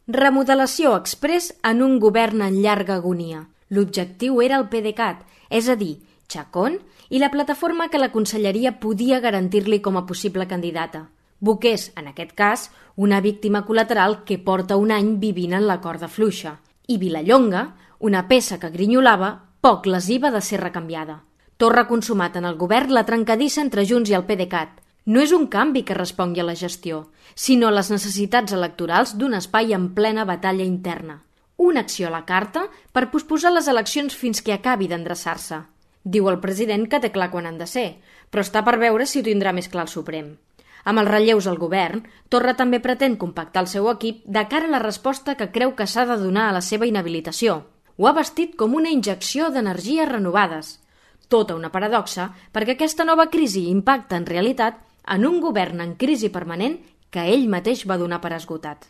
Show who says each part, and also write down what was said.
Speaker 1: Remodelació exprés en un govern en llarga agonia. L'objectiu era el PDeCAT, és a dir, Chacón i la plataforma que la conselleria podia garantir-li com a possible candidata. Boqués, en aquest cas, una víctima col·lateral que porta un any vivint en la corda fluixa. I Vilallonga, una peça que grinyolava, poc lesiva de ser recanviada. Torra consumat en el govern la trencadissa entre Junts i el PDeCAT. No és un canvi que respongui a la gestió, sinó a les necessitats electorals d'un espai en plena batalla interna. Una acció a la carta per posposar les eleccions fins que acabi d'endreçar-se. Diu el president que té clar quan han de ser, però està per veure si ho tindrà més clar el Suprem. Amb els relleus al govern, Torra també pretén compactar el seu equip de cara a la resposta que creu que s'ha de donar a la seva inhabilitació. Ho ha vestit com una injecció d'energies renovades. Tota una paradoxa, perquè aquesta nova crisi impacta en realitat en un govern en crisi permanent que ell mateix va donar per esgotat.